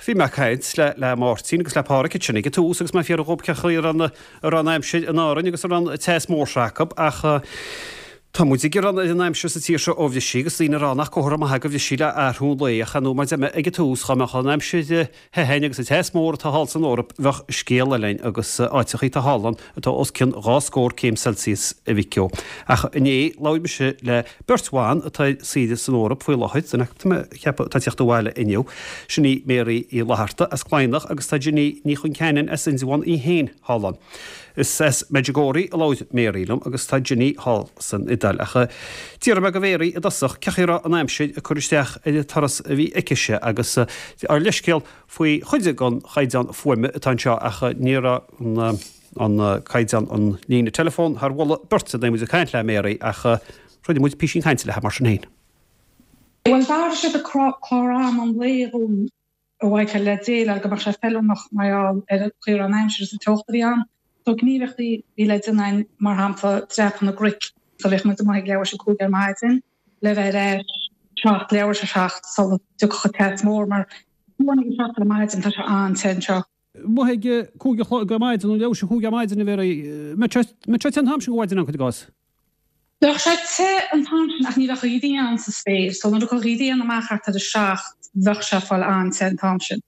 Bhí mé ag caint le le Máirtín agus le Pádhraic ansin ag an tús agus mé ag fiafraí dhób cén chaoi a raibh an a raibh an aimsir in Árainn agus a raibh an teas mór seo acu ach tá muid ag gearán ar an aimsir sa tír seo ó bhris sí agus daoine ag rá nach comhartha maith é go bhris sí le athrú an lae ach ar ndóigh mar a deir mé ag an tús dá mbeadh an aimsir the againn agus an teas mór atá thall san Eoraip bheadh scéal eile againn agus áiteachaí atá thall ann atá os cionn 2 scór céim Celsius a Mhic Ó. Ach inné labhair mise le beirt bhan atá ar saoire san Eoraip faoi láthair, duine acu tá mé ag ceapadh atá ag teacht abhaile inniu, sin í Mary Uí Fhlatharta as Cladhnach agus tá Ginny Ní Chonceanainn as Indreabhán í féin thall ann. Is as Medjugorje a labhair Mary liom agus tá Ginny thall san Iodáil. Ach d'fhiafraigh mé de Mhary i dtosach cén chaoi a raibh an aimsir ag cur isteach ar an turas a bhí aicise agus ár leithscéal faoi chuid den chaighdeán fuaime atá anseo ach ní raibh an caighdeán an líne teileafóin thar mholadh beirte nuair a bhí muid ag caint le Mary ach rinne muid písín cainte léi mar sin féin. Bhuel, d'athraigh siad an clár ama an lae dhúinn a Mhichael le déileáil go mbeadh sé feiliúnach mar gheall ar an chaoi a raibh an aimsir is an teocht a bhí ann. So gníomhaíochtaí a bhí le déanamh againn, mar shampla, dreapadh na gcnoic, so bhíodh muid amuigh ag leathuair tar éis 5 ar maidin le bheith ar ais 7, leathuair tar éis 7 sula dtiocfadh an teas mór mar fiú ag 7 ar maidin tá sé an-te anseo. Amuigh ag 5 a chlog ar maidin nó leathuair tar éis 5 ar maidin a Mhary, mbeadh sé te an t-am sin go mhaidin ann cuir i gcás. Bheadh sé te an t-am sin ach ní bheadh an ghrian sa spéir so nuair a thiocfadh an ghrian amach thart ar a 7 bheadh sé ag fáil an-te an t-am sin.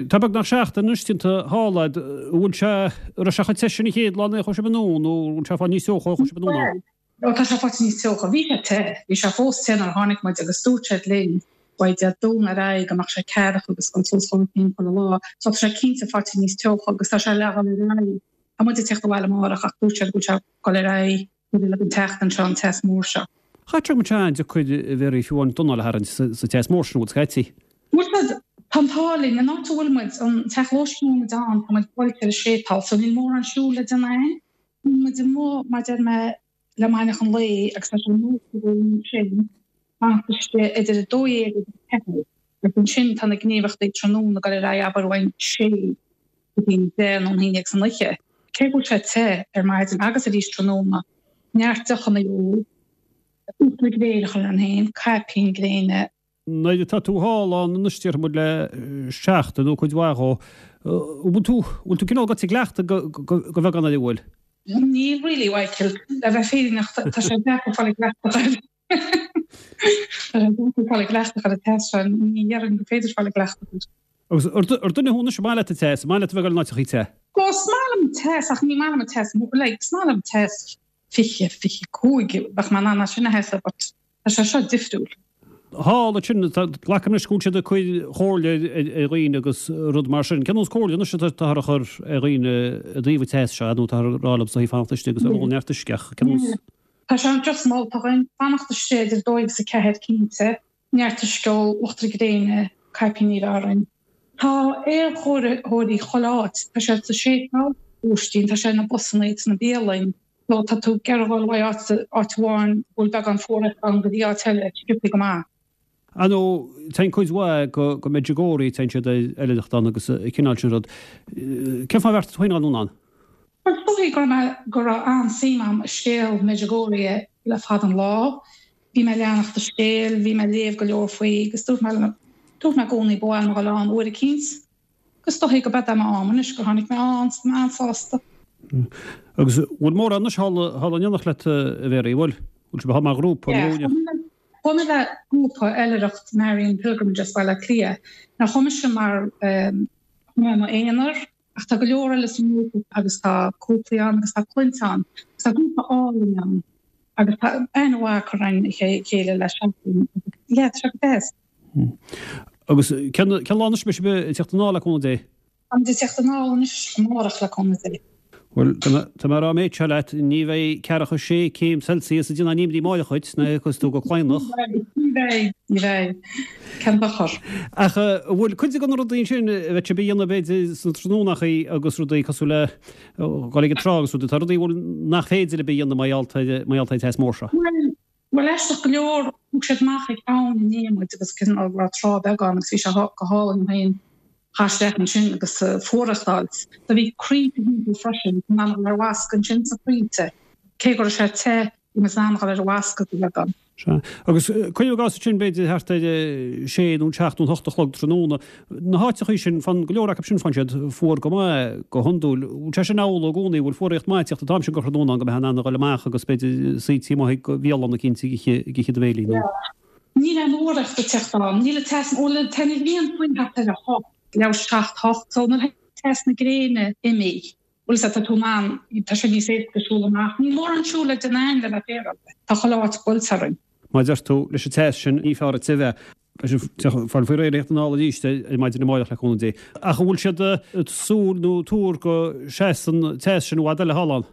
Tá beagnach seachtain anois déanta thall a'd, an bhfuil sé, an raibh sé chomh te sin an chéad lá nuair a chuaigh sibh anonn nó an bhfuil sé ag fáil níos teocha ó chuaigh sibh anonn ann? Ó tá sé faighte níos teocha. Bhí sé te. Bhí sé fós te nuair a tháinig muid agus dúirt siad linn uaidh Dé Domhnaigh ar aghaidh go mbeadh sé ceathracha agus ag dul suas dhá chéim chuile lá. So tá sé cinnte faighte níos teocha agus tá sé le dhul ar aghaidh. Tá muid ag teacht abhaile amárach ach dúirt siad go bhfuil sé ag dul ar aghaidh go dtí an tseachtain seo, an teas mór seo. Chaithfeadh sé go mbeadh sé an-deacair a Mhary fiú amháin d'anáil a tharraingt sa teas mór sin, an bhfuil scaití. Bhfuil siad, tá an t-ádh linn, an áit a bhfuil muid, an teach lóistín a bhfuil muid ann, tá muid buailte ar an séipéal so níl mórán siúil le déanamh againn. Bíonn muid amuigh, mar deir mé, le maidneachan lae agus tá sé nós againn sin fanacht istigh idir 12 agus 4 agus ansin tá na gníomhaíochtaí tráthnóna ag dul ar aghaidh abair ón sé go dtí an 10 nó an 11 san oíche. Cé go bhfuil sé te ar maidin agus arís tráthnóna, neart deochanna a ól, uachtar gréine a chur orainn féin, caipín gréine, Nuair atá tú thall ann anois déarfaidh muid le seachtain nó cuid mhaith dhó, an bhfuil tú, bhfuil tú cineál gaibhte i gcleachtadh go, go, go bheagán air an bhfuil? Níl really, Mhichael. Le bheith fírinneach, tá sé deacair fáil i gcleachtadh air. Tá sé deacair fáil i gcleachtadh ar an teas seo, ní dhéarfainn gur féidir fáil i gcleachtadh air. Agus ar duine thú anois, an maith leat an teas, an maith leat a bheith ag dul in áiteachaí te? Ó, is maith liom an teas ach ní maith liom an teas, like, is maith liom teas 20, 25, bheadh mé in ann é sin a sheasamh but Tá sé seo difriúil. Thall ansin, glacaim leis go bhfuil siad ag cur comhairle ar dhaoine agus rud mar sin. Cén nós comhairle anois atáthar a chur ar dhaoine i dtaobh an teas seo, nó táthar ag rá leo is fanacht istigh agus ól neart uisce ach cén nós? Tá sé just molta againn fanacht istigh idir 2 agus 4 cinnte, neart uisce a ól, uachtar gréine, caipíní a bheith orainn. Tá aerchóiritheoirí chuile áit, tá siad sa séipéal, lóistín, tá sé ar na busanna, sna bialainn. Nó tá tú ag iarraidh dhul uaidh áit áit amháin go bhfuil beagán fuaraitheach ann go dtí áit eile, sciobthaí go maith. Ar ndóigh, téann cuid mhaith go go Medjugorje, téann siad ar oilithreacht ann agus an cineál sin rud. Cén fáth ar bheartaigh tú féin a dhul anonn ann? Bhuel, is dóichí go raibh mé, go raibh an-suim agam i scéal Medjugorje le fada an lá. Bhí mé ag leanacht an scéil, bhí mé ag léamh go leor faoi agus dúirt mé, dúirt mé i gcónaí ba mhaith liom a dhul ann uair eicínt. Agus is dóichí go b'ead é m'am anois gur tháinig mé ann, tá mé an-sásta. Agus bhfuil mórán anois thall thall in éineacht leat a Mhary, bhfuil? Bhfuil sibh thall mar ghrúpa nó Yeah, chuaigh mé le grúpa oilithreacht Marian Pilgrimage as Baile Átha Cliath. Now chuaigh mise mar chuaigh mé i m'aonar ach tá go leor eile sa ngrúpa agus tá cúplaí ann agus tá clainne ann agus tá grúpa álainn ann agus tá aithne mhaith curtha againn ar chéile le seachtain agus yeah tá sé go deas. Agus cén lá anois a mbeidh sibh ag teacht anall le cúnamh Dé? Táimid ag teacht anall anois amárach le cúnamh Dé. Bhuel, tá mé ag rá an méid seo leat, ní bheidh ceathracha sé céim Celsius ag déanamh nimhní amárach dhuit, nuair a thiocfas tú go Cladhnach. Ní bheidh, ní bheidh. Cén dochar? Ach an bhfuil cuid de na rudaí ansin a bheidh sibh a dhéanamh b'fhéidir sna tráthnónachaí agus rudaí cosúil le dhul ag an trá agus rudaí, tá rudaí a bhfuil nach féidir libh a dhéanamh mar gheall ar an teas mór seo? Bhuel, Bhuel, aisteach go leor, thug siad amach ag abhainn inné muid agus cineál raibh trá beag ann agus bhí sé go hálainn féin isteach ansin agus fuireacht fháilt. Do bhí crainnte thimpeall freisin, in ann a dhul ar bhascadh ansin sna crainnte, cé go raibh sé te. Bhí muid in ann a dhul ar an bhascaed a bheagán. Sea. Agus cuirim i gcás ansin, b'fhéidir thart ar a sé nó an seacht nó an hocht a chlog tráthnóna, na háiteachaí sin, fan, go leor acu sin, faigheann siad fuar go maith, go hiondúil. Bhfuil sé sin amhlaidh i gcónaí? Bhfuil fuaraíocht maith ag tíocht an t-am sin de thráthnóna ann go mbeifeá in ann a dhul amach agus b'fhéidir suí taobh amuigh de bhialann eicínt ag ithe do bhéilí nó? Níl aon fhuaraíocht ag teacht ann. Níl an teas, bhuel, tá an ghrian faoi thart ar a hocht, leathuair tar éis a seacht, hocht, so nuair atá teas na gréine imithe, bhfuil a fhios agat, tá tú in ann, tá sé níos éasca siúl amach. Níl mórán siúl le déanamh againn le bheith féaráilte. Tá chuile áit buailte orainn. Mar a deir tú, leis an teas sin, ní fearr duit a bheith. Beidh fáil faoi réir a theacht anall arís ar maidin amáireach le cúnamh Dé. Ach an bhfuil siad ag súil nó ag tuar go seasfaidh an teas sin i bhfad eile thall ann?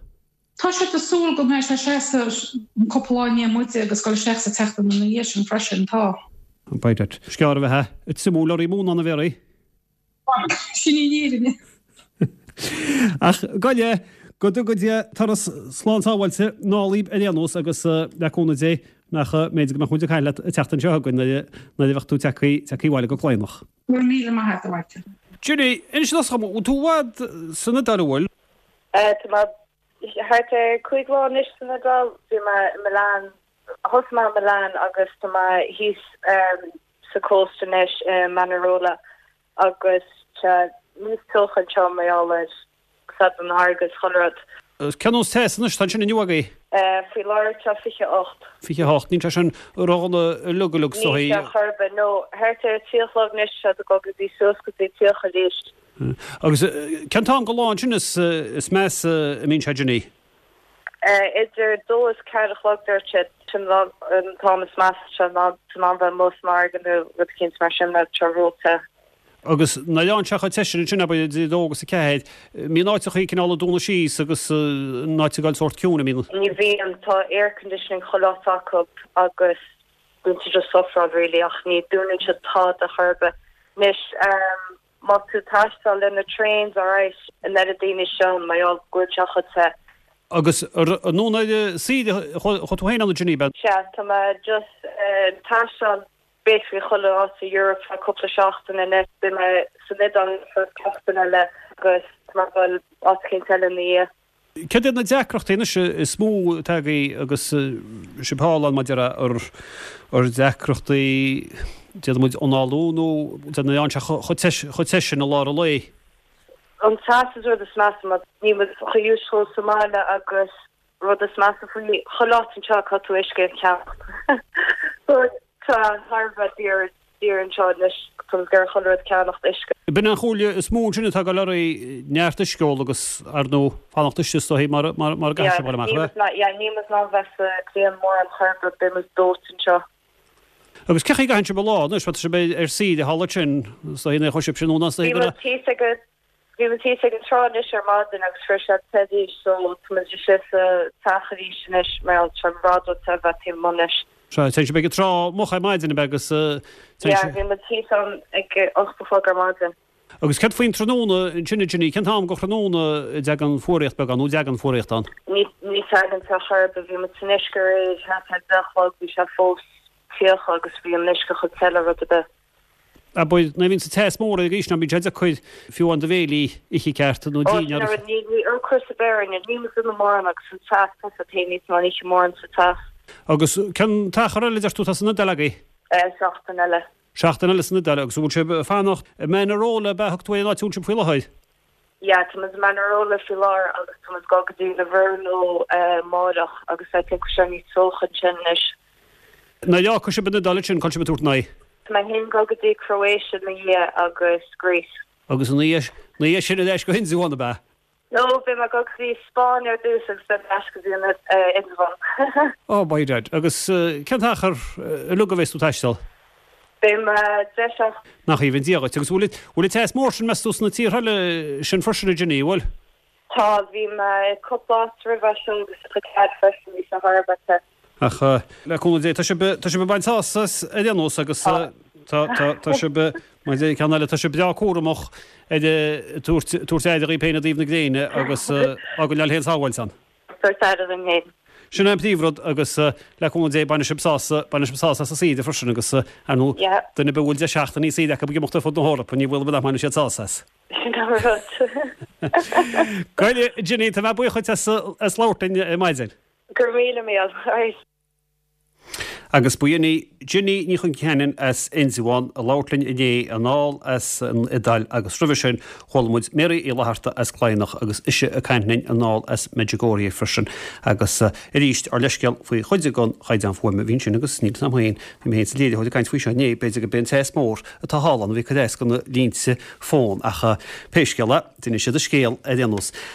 Tá siad ag súil go mbeidh sé ag seasamh an cúpla lá i ndiaidh muide agus dul isteach sa tseachtain ina dhiaidh sin freisin, tá. Beidh. Is gearr a bheifeá ag triomú lorraí móna ann a Mhéaraí. Sin í an fhírinne. Ach gabh i leith, go dtuga Dia turas slán sábháilte anall dhaoib ar aon nós agus le cúnamh Dé nach mb'fhéidir go mbeadh muid ag caint leat an tseachtain seo chugainn nuair a bheadh tú tagtha abhaile go Cladhnach. Go raibh míle maith agat, a Mháirtín. Ginny, inis dom, an bhfuil tú i bhfad san Iodáil, an bhfuil? Tá mé thart ar 5 lá anois san Iodáil. Bhí mé i Milan, thosaigh mé i Milan agus tá mé thíos sa cósta anois i Manarola agus tá níos teocha anseo mar gheall ar said an fharraige is chuile rud. Cén nós teas anois atá ansin inniu agaibh? Faoi láthair tá 28. 28, níl sé sin ródhona uilig uilig is dóigh. Níl sé chor ar bith, no. Thart ar 3 a chlog anois tá ag dul go dtí suas go dtí 30 arís. Agus cén t-am de lá ansin is measa a mbíonn sé Ginny? Idir 2 is 4 a chlog dúirt siad, sin an t-am is measa tá tú in ann bheith amuigh san fharraige nó rud eicínt mar sin mar tá ró-the. Agus nuair a fhaigheann sé chomh te sin ansin, abair idir 2 agus 4, mbíonn áiteachaí cineál ag dúnadh síos agus an áit ag dul sórt ciúin, an mbíonn? Ní bhíonn, tá air conditioning chuile áit acu agus bíonn tú just sufferáil really ach ní dúnann siad tada chor ar bith. Anois, Má tá tú ag taisteal le na trains alright an oiread daoine seo mar gheall go bhfuil sé chomh te. Agus anonn ar saoire a chuaigh tú féin ann a Ginny, ab ea? Sea, tá mé just ag taisteal basically chuile áit sa Europe le cúpla seachtain anois. Beidh mé san Iodáil an seachtain eile agus tá mé ag dul áit eicínt eile ina dhiaidh. Céard iad na deacrachtaí anois is mó atá agaibh agus sibh thall ann maidir le ar deacrachtaí déarfaidh muid análú nó déarfaidh an sé chomh te sin i lár an lae? An teas is rud is measa mar níl muid chomh used to sa mbaile agus rud is measa faoi chuile áit anseo caithfidh tú uisce a cheannacht. So tá thar a bheith daor. Daor anseo anois tá muid ag iarraidh chuile rud a cheannacht, uisce. B'in an chomhairle is mó ansin atá ag dul oraibh, neart uisce a ól agus, ar ndóigh, fanacht istigh is dóigh mar mar a gcaithfidh sibh dul amach, ab ea? Yeah, níl muid in ann bheith sa ghrian mórán chor ar bith, beidh muid dóite anseo. Agus cén chaoi a gcaitheann sibh an lá anois, má tá sibh ar saoire thall ansin, is dóigh nuair a chuaigh sibh sin anonn is dóigh go raibh. Bhí muid thíos ag an Bhí muid thíos ag an trá anois ar maidin agus fuair sé te arís so tá muid istigh sa teach arís anois mar gheall tá sé i bhfad ró-the a bheith taobh amuigh anois. Sea, téann sibh ag an trá moch ar maidin ab ea agus téann Yeah, bhí muid thíos ann ag 8 a chlog ar maidin. Agus céard faoin tráthnóna ansin a Ginny, cén t-am de thráthnóna a dtagann fuaraíocht beagán nó an dtagann fuaraíocht ann? Ní ní tagann sé chor ar bith, bhí muid san uisce aréir thart ar 10 a chlog, bhí sé fós 30 agus bhí an uisce chomh te le rud ar bith. Abair, nuair a bhíonn an teas mór ag aois ná bíonn sé deacair fiú amháin do bhéilí a ithe ceart nó Ó, sin an rud, ní, ní ocras ar bith orainn, níl muid ina mórán agus an teas, tá sé féin níos mó oíche mórán sa teas. Agus cén t-achar eile a deir tú atá san Iodáil agaibh? Seachtain eile. Seachtain eile san Iodáil, agus an bhfuil sibh ag fanacht i Manarola ab ea a thug tú ar an áit a bhfuil sibh faoi láthair? Yeah, tá muid i Manarola faoi láthair agus tá muid ag dul go dtí Livorno amáireach agus I think go bhfuil sé níos teocha ansin anois. Nuair a fhágfaidh sibh an Iodáil ansin, cá bhfuil sibh ag tabhairt aghaidh? Tá mé féin ag dul go dtí Croatia ina dhiaidh agus Greece. Agus ina dhiaidh sin ar ais go Indreabhán, ab ea? No, beidh mé ag dul go dtí Spáinn ar dtús agus beidh mé ar ais go dtí an Indreabhán. Oh by dad. Agus cén t-achar uilig a bheas tú ag taisteal? Beidh mé 10 seachtain. Nach aoibhinn Dia dhuit. Agus bhfuil bhfuil an teas mór sin, meas tú, sna tíortha eile sin freisin, a Ginny, bhfuil? Tá, bhí mé i cúpla áit roimhe seo agus sa Tsead freisin, bhí sé thar a bheith te. Ach le cúnamh Dé, tá sibh, tá sibh ag baint sásamh as ar aon nós agus tá, tá, tá sibh, mar a deir ceann eile, tá sibh breá cúramach ar tabhairt, tabhairt aire dhaoibh féin i dtaobh na gréine agus á gcoinneáil féin sábháilte ann. Tabhairt aire dúinn féin. Sin é an príomhrud agus le cúnamh Dé bainfidh sibh sásamh, bainfidh sibh sásamh as an saoire freisin agus ar ndóigh duine ar bith a bhfuil 10 seachtainí saoire acu ag imeacht ar fud na hEorpa, ní baol ar bith nach mbainfidh siad sásamh as. Sin an rud. Go deimhin, Ginny, tá mé buíoch dhuit as labhairt linn ar maidin. Go raibh míle míle. Right. Agus ba in í Ginny Ní Chonceanainn as Indreabhán a labhairt linn inné anall as an Iodáil agus roimhe sin chuala muid Mary Uí Fhlatharta as Cladhnach agus ise ag caint linn anall as Medjugorje freisin agus arís ár leithscéal faoi chuid den chaighdeán fuaime a bhí ansin agus níl 'fhios a'm féin, bhí mé féin sa léiritheoir ag caint faoi seo inné, b'fhéidir gurb é an teas mór atá thall ann a bhí ag cur as do na línte fón ach pé scéal é, d'inis siad a scéal ar aon nós.